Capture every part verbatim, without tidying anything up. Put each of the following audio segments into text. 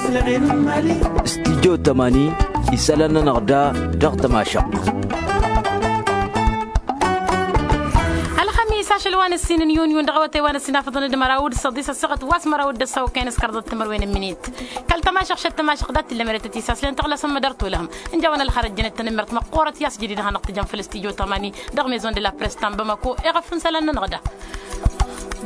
Studyo tămani isălan-nănăɣ da dăɣ-tămašăɣt. Ălxămis ašăl wa n-ǝssin n-yunyun dăɣ-awătay wa n-ăssinafăḍăn d-măraw d-săḍis ăssaɣăt wa s-măraw d-ăssaw kăyăn s-kăraḍăt timărwen n-minit. Kăl-tămašăɣt šăt tămašăɣt dat-tǝllăm eretăt isaslăn tăɣlasăn mădăr tulăhăm. Ǝnjawăn ălxărăt jănăt-tăn n-mărt măqqoorăt i-asjădid hanăɣ-tǝjăn făll-studyo tămani dăɣ-maison de la press ta n-bamako. Eɣăf n-isălan-nănăɣ da.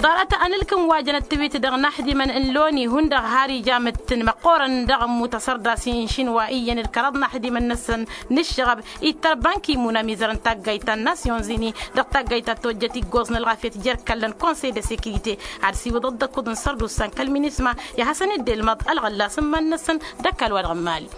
Ḍarăt anǝlkǝm wa jăn ăttăwit dăɣ-inaxdimăn n-loni hundăɣ har ija mǝttǝn măqqoorăn dăɣ-ămmut asărdas-i n-išinwa iyyăn d-kăraḍ inaxdimăn-năsăn n-ǝššăɣăb. Ittăr banki mun amizăr n-taggayt ta n-nasyon zini dăɣ-taggayt ta tojjăt iggoẓ n-ălɣafyăt jer-kallăn konsey de sekirite ad-siwǝḍăt d-ăkkuḍ n-sărdusa n-kăl-minisma. I-ad-hasăn-dd-ilmăḍ ălɣăllas n-iman-năsăn d-ăkall-wa-dăɣ n-mali.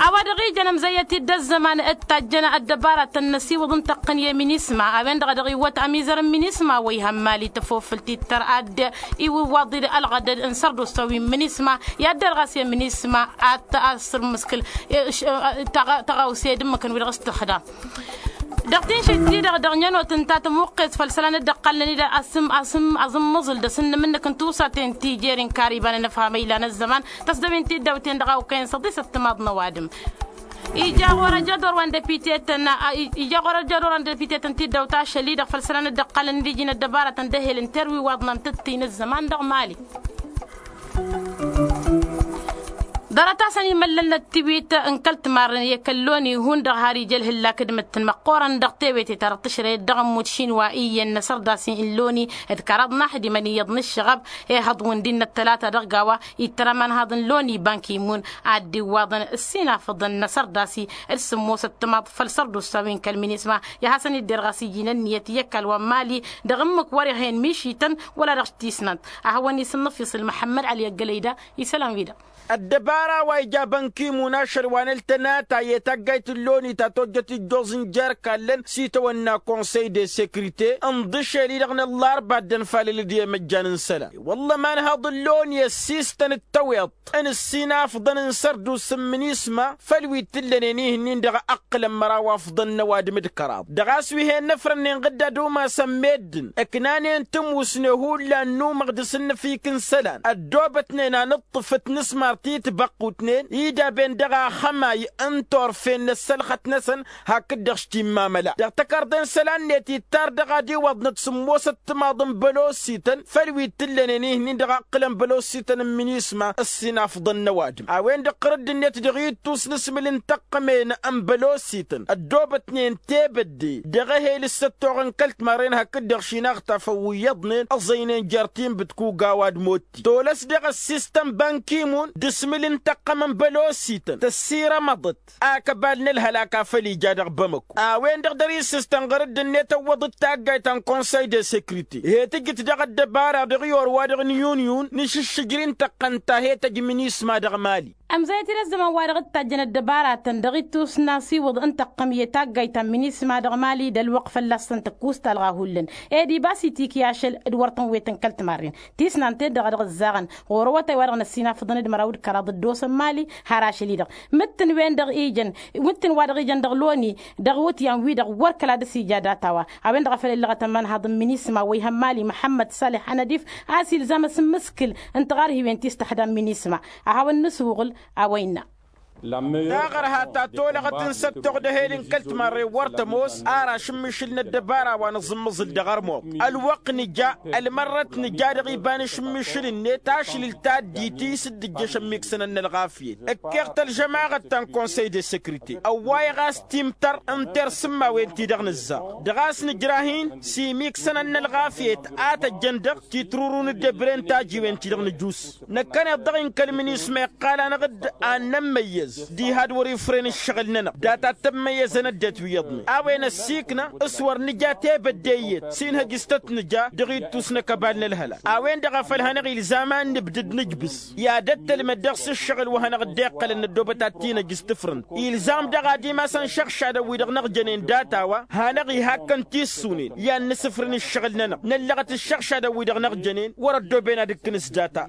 A-wa dăɣ-ijăn ămzăyyăt-dd ăzzăman d-tajjăn ăddăbaratăn n-asiwǝḍ n-tăqqǝn i-minisma a-wen-dăɣ a dăɣ-iwwăt ămizăr n-minisma wa ihăn mali tăfofǝlt ittăr ad-iwǝwwaḍ-dd ălɣădăd n-sărdusa wi n-minisma. I-ad-derɣas i-minisma ad-t-asǝrmǝskǝl tăɣawse d-ǝmmǝkăn wi dăɣ-s tǝxdam. Dăɣ-tinšit-ti-dăɣ dăɣ-nănot ǝnta tămuqqes făll-isălan dd-ăqqalnen-dd asǝm asǝm aẓǝmmăẓǝl d-asǝnnǝm-năk n-tusaten ti jer-inkar iba n-anăfham ilan ăzzăman. Tăsdăwen tiddawten dăɣ-a okăyăn săḍisăt timaḍ n-ăwadǝm. Ija ɣur-ăjădor wa n-depite-tăn ija ɣur-ăjădor wa n-depite-tăn tiddawt ašăl-i-dăɣ făll-isălan dd-ăqqalnen-dd iji n-ăddăbaratăn d-ehel n-terwi waḍnăn tǝttin ăzzăman dăɣ-mali. Ḍarăt-asăn imăllăl n-ăttiwit n-kăl-timarren i-kăl-loni hundăɣ har ija ălhǝllak d-imǝttǝn măqqoorăn dăɣ-tewete-ta-dăɣ tǝšrăyăt dăɣ-ămmut šinwa iyyăn n-asărdas-i n-loni d-kăraḍ n-aḥdimăn iyyăḍ n-ǝššăɣăb. Ihăḍ wǝndi n-ăttălata dăɣ-gawa ittăr ămanhaḍ n-loni banki-mun ad-dd-iwwaḍăn ǝssinafăḍăn n-asărdas-i d-sǝmmosăt timaḍ făll-sărdusa wi n-kăl-minisma. I-ad-hasăn-dd-derɣas iji n-ǝnniyăt i-ăkall wa n-mali dăɣ-ǝmmǝk wăr-ihăyăn mišităn wăla dăɣ-tisnant. Ad-hawăn-isǝnnăfyăṣ ălmăḥămmăd ăli ăggălăy da isălan wi-dăɣ. Ăddăbara wa ija bănkimun ašăl wa n-ăltănatay i-taggayt n-loni ta tojjăt ijjoẓ n-jer-kallăn s-itawănna konsăy de sekrite ǝnḍǝšel-i-dăɣ n-ăllarba ăddănfalăl d-i-imăjjan n-isălan. Wălla ămanhaḍ n-loni ăssiistăn d-tăweḍt n-ǝssinafḍăn n-sărdus n-minisma făll-wi t-ǝllănen ihǝnnin dăɣ-ăqqǝlăn măraw afḍăn n-ăwadǝm d-kăraḍ dăɣ-a-s wi he-năfrănnen ɣǝdda d-umasăn meddǝn ǝknanen tǝmusne hullan n-umăɣ d-asǝnnăfik n-isălan ăddoobătnen anǝṭṭǝf d-inǝsmar ti tibăqqutnen idaben dăɣ-axămay n-turfen n-ăssălxăt-năsăn. Hakd-dăɣ s-timmamăla dăɣ-tăkarḍe n-isălan-net ittar dăɣ-ad-iwwăḍnăt sǝmmosăt timaḍ n-bălosităn făll-wi t-ǝllănen ihǝnnin dăɣ-aqqǝlăn bălosităn n-minisma ăssinafḍăn n-ăwadǝm a-wen-dăɣ ɣur-dd-net dăɣ-ittus n-asmǝl n-tăqqămen n-bălosităn ăddoobătnen tebădde dăɣ-ehel s-ăttoɣăn kăl-timarren hakd-dăɣ šinaɣtafăn wi iyyăḍnen ăẓăynen jer-tinbǝt kugawa d-motti tolăs dăɣ-ăssistăn bankimun d-asmǝl n-tăqqăm n-bălosităn tăssirămăḍăt akăbal n-ălhălak a făl ija dăɣ-bamăko a-wen-dăɣ dăr-isǝstăn ɣur-dd-net ăwwăḍ-dd taggayt ta n-konsăy de sekrite he-tǝjǝt dăɣ-ăddăbara dăɣ-i orwa-dăɣ n-iyyunyun n-išǝššǝjri n-tăqqăn ta he-tăj minisma dăɣ-mali. Ămzăyăt-dd ăzzăman wa dăɣ-dd-tajjăn ăddăbaratăn dăɣ-ittus n-asiwǝḍ n-tăqqăm i-taggayt ta n-minisma dăɣ-mali d-ălwăqq fălla-săn tăkkus talɣa hullan ed ibas itik i-ašăl d-wăr tăn-wetăn kăl-timarren tisnant-en-dăɣ a dăɣ-ǝzzaɣăn ɣur-awătay wa dăɣ-năssinafăḍăn d-măraw d-kăraḍ ăddoosăn mali. Har ašăl-i-dăɣ mǝttǝn-wen-dăɣ ijăn mǝttǝn wa dăɣ-ijăn dăɣ-loni dăɣ-iwǝtyan-wi-dăɣ wăr kăla dăr-s ija data-wa. A-wen-dăɣ a făl ǝllăɣăt ămanhaḍ n-minisma wa ihăn mali măḥămmăd salih anădif a-s ilzam asǝmmǝskǝl n-tiɣarhiwen ti s-tăxdam minisma. A hawăn-nǝsuɣǝl a-wa innă. Taɣărha ta tolăɣăt n-săttoɣ d-ehel n-kăl-timarre wăr tămoos ar ašǝmmišǝl n-ăddăbara wa nǝẓǝmmăẓǝl dăɣ-ărmoɣ ălwăqq nǝja ălmărrăt nǝja dăɣ-iba n-ašǝmmišǝl-net ašlǝl ta dd-iti s-dd-ǝjjăšăn miksănăn n-ălɣafyăt ǝkkeɣ-t ălžămaɣăt ta n-konsăy de sekrite ăwwayăɣ a-s timtăr n-tersǝmmawen-ti-dăɣ nǝzzaɣ dăɣ-a-s nǝjrah-in s-imiksănăn n-ălɣafyăt a tăjjăn dăɣ-titruru n-ǝddebren tajiwen-ti-dăɣ nǝjus năkkăneḍ dăɣ-i n-kăl-minisma iqqal-anăɣ-dd ad-nămmăyyăz diha d-wăr-ifren ǝššăɣǝl-nănăɣ data t-ămmăyyăzăn ăddinăt wi iyyăḍnen a-wen ăssiiknă s-wăr nǝja tebădde iyyăt s-inhăj s-tăt-nǝja dăɣ-ittus n-ăkăbal n-ălhălak a-wen-dăɣ a făl hanăɣ-ilzam ad-nǝbdǝd nǝjbǝs i-ad-ăttălmăd dăɣ-s ǝššăɣǝl wa hanăɣ-dd-iqqălăn ăddoobăt ad-t-inhăj s-tǝfrǝnt ilzam daɣ ad-imasăn šăɣšadăn-wi-dăɣ năɣjănen data-wa hanăɣ-ihakkăn tissǝwnen i-ad-nǝsǝfrǝn ǝššăɣǝl-nănăɣ năllăɣăt ǝššăɣšadăn-wi-dăɣ năɣjănen wăr-ăddooben ad-ǝkkǝn s-data.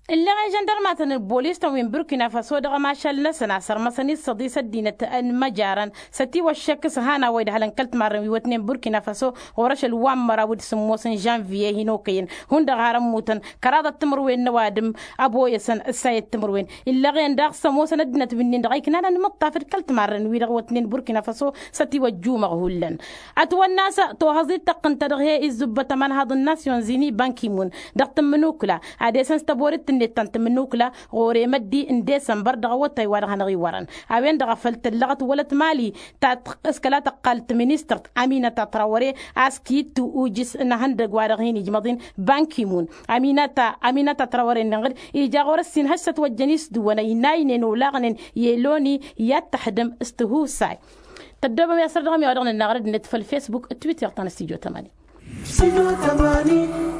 Ǝlleɣ i-žăndărmatăn n-bolis-tăn wi n-burkina faso dăɣ-ămašal-năsăn a sărmăsăn-dd săḍis ăddinăt n-imăjarăn s-ătiwăššăk s-han a-wa idhălăn kăl-timarrăn wi wătnen burkina faso ɣur-ašăl wa n-măraw d-sǝmmos n-žănviye hin-okăyăn hundăɣ har ămmutăn kăraḍăt timǝrwen n-ăwadǝm. Ăboyăsăn ǝssayăt timǝrwen illeɣ-en daɣ s-ămoosăn ăddinăt wi-nin-dăɣ a iknan anmǝṭṭaf d-kăl-timarrăn-wi-dăɣ wătnen burkina faso s-ătiwăjjumăɣ hullan. Ătwănna a-s tohăẓ-dd tăqqǝnt ta dăɣ-he-izzǝbbăt ămanhaḍ n-nasyon zini bankimon dăɣ-tǝmmǝnukla ad-esăn s-tăborit-net ta n-tǝmmǝnukla ɣur-emăddi n-desămbăr dăɣ-awătay wa dăɣ-hanăɣ-iwărăn. A-wen-dăɣ a făl tǝllăɣăt wălăt mali ta s-kăla tăqqal tiministărt aminăta trawăre a-s kit-tu ujǝs n-ehăndăg wa dăɣ-hin-ijmăḍ-in bankimon. Aminăta trawăre-nin-dăɣ ija ɣur-ăssin hăššăt wăjjăn isdǝwăn ăynaynen olaɣnen i-eloni i-ad-tăxdǝm s-tihusay. Tăddoobăm i-asăr dăɣ-mi a-wa dăɣ-nănnaɣ răd-net făll-fesbuk d-twitter ta n-stujo tămani.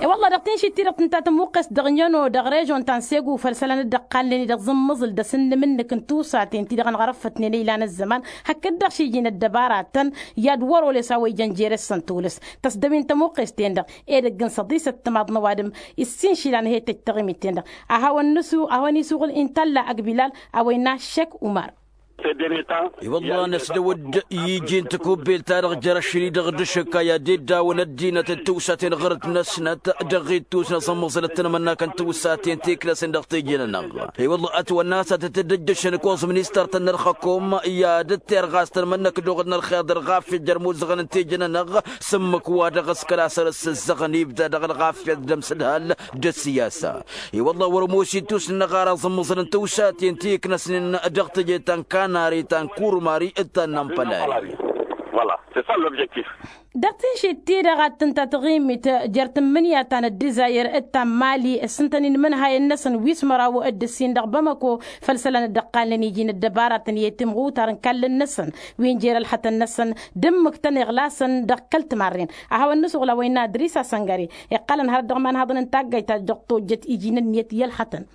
E-wălla dăɣ-tinšit-ti-dăɣ tǝnta tămuqqest dăɣ-năno dăɣ-režon ta n-segu făll-isălan dd-ăqqalnen-i dăɣ-zǝmmǝẓǝl d-asǝnnǝm-nǝk n-tusaten ti-dăɣ ănɣărăffătnen ăylan ăzzăman hakd-dăɣ šiji n-ăddăbaratăn i-ad-wăr-oles a-wa ijăn jere-săn tolăs. Tăsdăwin tămuqqest-en-dăɣ edăgg n-săḍisăt timaḍ n-ăwadǝm issin išilan he-tăjj taɣimit-en-dăɣ a hawăn-nǝsu a hawăn-isuɣǝl intalla ăgg bilal a-wa innă šek umar. I-wălla năsdăw-dd i-iji n-tikubbelt-ta-dăɣ jer-ašăl-i-dăɣ d-ašǝkka i-ad-dd-awăn ăddinăt d-tiwsaten ɣărăt-năsnăt dăɣ-ittus n-aẓǝmmăẓăl d-tanmănnakăn tiwsaten ti iknăsăn dăɣ-teje-nănăɣ. I-wălla ătwănna a-s ad-tăt-dd-ǝjjăšăn ăkoẓ ministăr-tăn n-ălxăkom i-ad-dd-terɣas tanmănnăk d-oɣǝd n-ălxeḍ ălɣafyăt jer-imuzăɣăn n-teje-nănăɣ. S-ǝmmǝk wa dăɣ-s kăla săr-s ǝzzăɣăn ibda dăɣ-ălɣafyăt d-ămsǝdhal d-ăssiyasa. I-wălla wăr-ămoos ittus-nănăɣ ar aẓǝmmăẓăl n-tiwsaten ti iknăsnen dăɣ-teje ta n-kanari ta n-kurmari d-ta n-ampălari. Dăɣ-tinšit-ti-dăɣ ad-tǝnta taɣimit jer-tǝmmǝnǝya ta n-ăddǝzayăr d-ta n-mali ǝssǝntăn inmǝnhayăn-năsăn wi s-măraw d-ǝssin dăɣ-bamăko. Făll-isălan dd-ăqqalnen iji n-ăddăbaratăn i-timɣutar n-ikallăn-năsăn wi n-jer-ălxătăn-năsăn d-ǝmmǝktăn iɣlasăn dăɣ-kăl-timarren a hawăn-nǝsuɣǝl a-wa innă adris asăngăre. Iqqalăn hărăt dăɣ-imanhaḍăn n-taggayt ta dăɣ-tojjăt iji n-ǝnniyăt i-ălxătăn.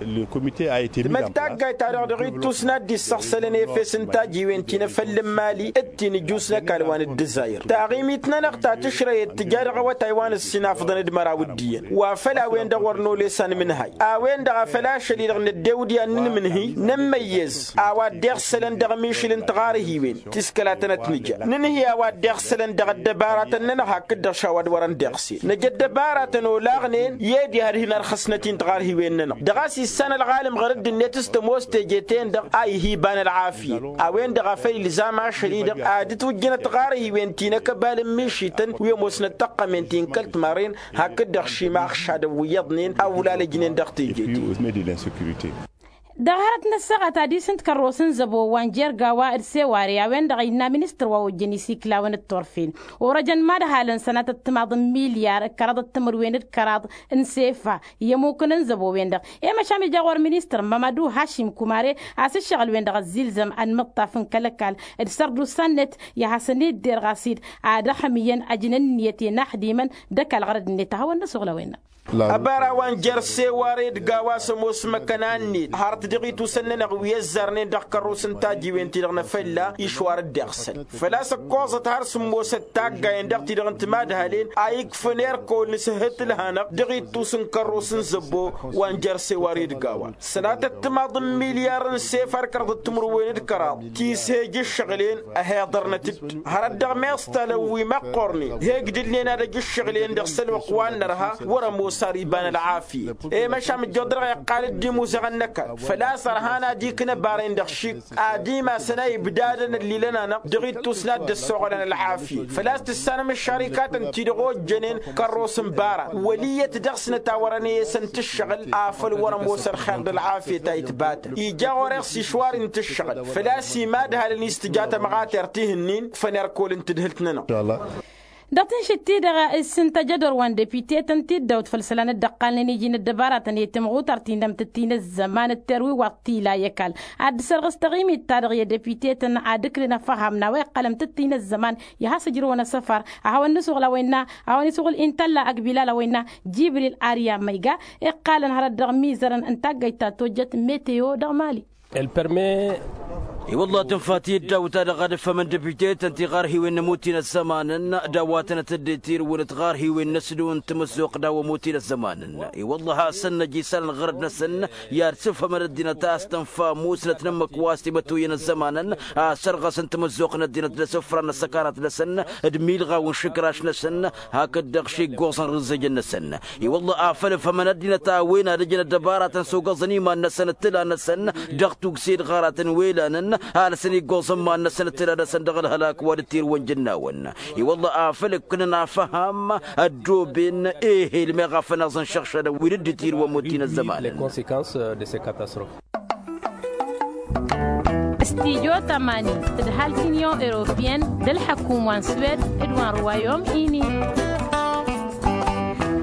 Tǝmmǝk taggayt-ta-dăɣ dăɣ-ittus n-ad-dd-issăɣsălăn efes n-tajiwen ti n-efăll n-mali d-ti n-ǝjus n-ăkall wa n-ǝddǝzayăr taɣimit-nănăɣ ta tǝšrăyăt tǝja dăɣ-awătay wa n-ǝssin afḍăn d-măraw d-iyyăn wa făll-a-wen-dăɣ wăr nolesăn mǝnhăy. A-wen-dăɣ a făl ašăl-i-dăɣ năddew d-i-ad-nǝnmǝnhǝy nǝmmăyyăz a-wa dd-iɣsălăn dăɣ-mišǝl n-tiɣarhiwen ti s-kăla tănăt-nǝja nǝnhǝy a-wa dd-iɣsălăn dăɣ-ăddăbaratăn-nănăɣ hakd-dăɣ šawa d-wărăn d-iɣsel năj ăddăbaratăn olaɣnen i-ed ihăr hin-ărxăsnăt-in tiɣarhiwen-nănăɣ dăɣ-a-s issan ălɣalăm ɣăr dd-net s-tămoos teje-ten-dăɣ a ih'-iba n-ălɣafyăt. A-wen-dăɣ a făl ilzam ašăl-i-dăɣ ad-ǝtwǝjjǝnăt tiɣarhiwen ti n-akăbal n-mišităn wi ămoosnăt tăqqămen ti n-kăl-timarren hakd-dăɣ šimaɣ šadăn wi iyyăḍnen a ulalăjnen dăɣ-teje-ti. Dăɣ-hărăt n-ăssaɣăt ad-isǝnt kărros n-zăbo wa n-jer-gawa d-seware a-wen-dăɣ a innă ministăr wa ojjăn isiklawăn d-turfen orăjăn madhalăn sănatăt timaḍ n-milyar d-kăraḍăt timǝrwen d-kăraḍ n-sefa i-ămukǝn n-zăbo-wen-dăɣ. I-măšan ija ɣur-ministăr mamadu hašim kumare a-s ǝššăɣǝl-wen-dăɣ ăzzilzăm ănmǝṭṭaf n-kăl-ăkall d-sărdusa-net i-ad-hasăn-dd-derɣas-dd ad-ăxmǝyyăn ăjnăn ǝnniyăt i-inaxdimăn d-ăkall ɣărăd-net a hawăn-nǝsuɣǝl a-wen-dăɣ. Ăbara wa n-jer-seware d-gawa s-ămoos măkăna-net hărăt dăɣ-itusăn-nănăɣ wi ăzzarnen dăɣ-kărrus n-tajiwen-ti-dăɣ n-afălla išwar dd-iɣsăn făl-a-s ǝkkoẓăt har sǝmmosăt taggayen dăɣ-ti-dăɣ n-timadhalen a ikfăn erkol n-sǝhhǝt ǝlhanăɣ dăɣ-ittus n-kărrus n-zăbbo wa n-jer-seware d-gawa sănatăt timaḍ n-milyar n-sefar kăraḍăt timǝrwen d-kăraḍ ti s-he-ija ǝššăɣǝl-en ăhiḍărnăt-dd hărăt dăɣ-meẓtalăn wi măqqornen he-ǝgdǝlnen ad-ăj ǝššăɣǝl-en dăɣ-sălwăqq wa n-nărha wăr-ămoos ar iba n-ălɣafyăt. I-măšan mǝjjoḍ dăɣ-iqqal-dd imuzăɣăn n-ăkall făl-a-s ărhan ad-ikna bar-en dăɣ-šik ad-imasăn a ibdadăn ăllilăn-anăɣ dăɣ-ittus n-ad-dd-ăssoɣălăn ălɣafyăt făl-a-s tǝssanăm ăššărikatăn ti-dăɣ ojjănen kărros n-bara wăl' iyyăt dăɣ-snăt a wărăn i-esăn tǝššăɣǝl afăl wăr-ămoos ălxer d-ălɣafyăt a itbatăn ija ɣur-e-s išwar-in tǝššăɣǝl făl-a-s imadhalăn-is tǝja tămɣatert ihǝnnin kfăn erkol n-tǝdhǝlt-nănăɣ. Dăɣ-tǝnšit-ti-dăɣ issǝntăj ădor wa n-depitetăn tiddawt făll-isălan dd-ăqqalnen iji n-ăddăbaratăn i-timɣutărt-in d-amtǝttin ăzzăman d-terwiwaḍt tila i-ăkall ad-dd-sărɣǝs taɣimit-ta-dăɣ i-depitetăn ad-ǝklǝn ăfham n-a-wa iqqăl amtǝttin ăzzăman i-ad-has-ǝjrǝwăn asăfar. A hawăn-nǝsuɣǝl a-wa innă a hawăn-isuɣǝl intălla ăgg bilal a-wa innă jibril arya măyga iqqalăn hărăt dăɣ-imizărăn n-taggăyt ta tojjăt meteo dăɣ-mali. El permet I-wălla tǝnfa tiyyăt daw-ta-dăɣ ad-ǝffămăn dăbitetăn tiɣarhiwen n-ămuti n-ăzzămanăn d-a-wa tănăt-dd-tirǝwǝnăt tiɣarhiwen n-asdǝw n-tamăzzuɣt d-a-wa ămuti n-ăzzămanăn. I-wălla hasăn-năj isălan ɣărăd-năsăn i-ad-sǝfhămăn ăddinăt a-s tănfa musnăt n-ǝmmǝk wa s-timăttoyăn ăzzămanăn a sărɣăsăn tamăzzuɣt n-ăddinăt d-asǝfran n-ăssăkanat-năsăn d-imilɣaw n-išǝkraš-năsăn hakd-dăɣ šeggoẓăn rǝzzejăn-năsăn. I-wălla afăl ǝfhămăn ăddinăt a-wen ad-ǝjǝn ăddăbaratăn s-ogăẓăn iman-năsăn d-tǝla-năsăn dăɣ-tugse d-ɣaratăn wi ǝlanăn alăsăn iggoẓ n-iman-năsăn d-tǝla-năsăn dăɣ-ălhălak wa dd-tirǝwăn jǝnnawăn. I-wălla afăl ǝkkǝnăn afăham ăddooben ehel meɣ a făl n-aẓ n-išăɣšadăn wi dd-tirǝwăn muttin ăzzămanăn. Stidyo tămani tǝdhal t-inyon europiyăn d-ălḥăkum wa n-swed d-wa n-ruwayom ini.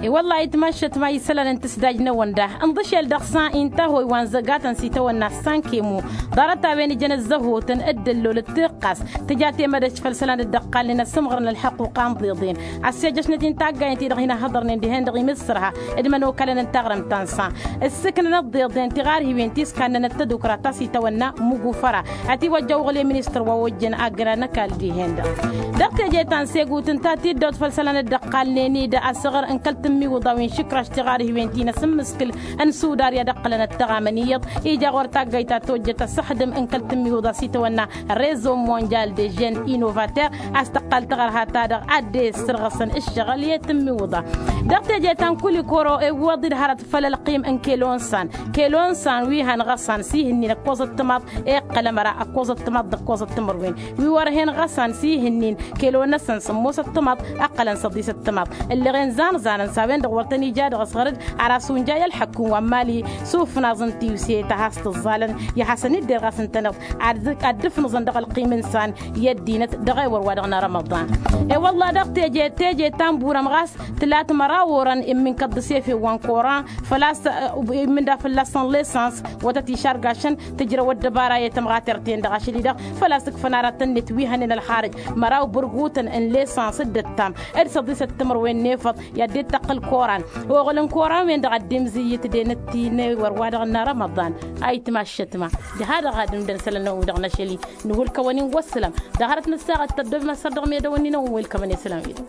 I-wălla-hi tmaššăt ma isălan n-tǝsdajnăwăn da ǝnḍǝšel dăɣ-san intăhoy wa n-zăgatăn s-itawănna s-sankemu. Ḍarăt a-wen ǝjăn ăzzăhotăn d-ăllol d-tiqqas tǝja temădăjt făll-isălan dd-ăqqalnen ăssǝmɣărăn ălḥăqquqa n-iḍeḍen. Ăssejăšnăt-in taggayen-ti-dăɣ hin-ăhhăḍărnen dihen-dăɣ imǝssărha d-imănokalăn n-taɣrǝmt ta n-san ǝssǝknănăt d-iḍen tiɣarhiwen ti s-kannănăt tadukra ta s-itawănna mugufăra. Ătiwăjja uɣǝl i-ministăr wa ojjăn aggăra n-ăkall dihen-dăɣ. Dăɣ-teje ta n-segut ǝnta tiddawt făll-isălan dd-ăqqalnen-dd asăɣăr n-kăl-tǝmmiwǝḍa wi n-išǝkraš tiɣarhiwen ti n-asǝmmǝskǝl n-sudarya d-ǝqqǝlăn ăttăɣamăn iyyăḍ ija ɣur-taggayt ta tojjăt asǝxdǝm n-kăl-tǝmmiwǝḍa s-itawănna rezo monjal de jen inovater a-s tăqqal tăɣărha-ta-dăɣ ad-dd-e-ǝssărɣăsăn ǝššăɣǝl i-tǝmmiwǝḍa. Dăɣ-teje ta n-kulikoro iwwăḍ-dd hărăt făll-ălqim n-kelo n-san kelo n-san wi hăn ɣăsan s-ihǝnnin ăkkoẓăt timaḍ iqqăl ămăra ăkkoẓăt timaḍ d-ăkkoẓăt timărwen wi wăr hen ɣăsan s-ihǝnnin kelo-năsăn sǝmmosăt timaḍ ǝqqălăn săḍisăt timaḍ. Ǝlleɣen zanzanăn s-a-wen-dăɣ wăr tăn-ija dăɣ-s ɣărăd ar asǝwǝnja i-ălḥăkkǝm wa n-mali s-ufnaẓ n-tiwse ta has-tǝẓẓalăn i-ad-hasăn-dd-irɣasăn-tănăɣ ad-dd-ǝfnǝẓăn dăɣ-ălqim n-san i-ăddinăt dăɣ-ewăr wa dăɣ-nărămăḍan. E-wălla dăɣ-teje teje ta n-burăm ɣas tǝlat măraw orăn immǝnkăḍ d-asefen wa n-koran făl-a-s immǝnda fălla-săn lesans wătăt išargašăn tǝjrăw ăddăbara i-tămɣatert-en-dăɣ ašăl-i-dăɣ făl-a-s ǝkfăn aratăn-net wi hănen ălxarǝj măraw bărgutăn n-lesans d-ǝttam d-săḍisăt timǝrwen n-efăḍ i-ad-dd-tăqqǝl koran oɣǝl n-koran-wen-dăɣ ad-dd-imzǝyyǝt d-enăt ti n-ewăr wa dăɣ-nărămăḍan. Ayǝtma ăššătma diha-dăɣ ad-ǝmdăn isălan n-ăwwǝy dăɣ-năšăl-i nǝwǝlkăwăn-in wăssălam. Dăɣ-hărăt n-ăssaɣăt tăddob măssăr dăɣ-medăwăn-in ăwwǝy wălkămăn i-isălan wi-dăɣ.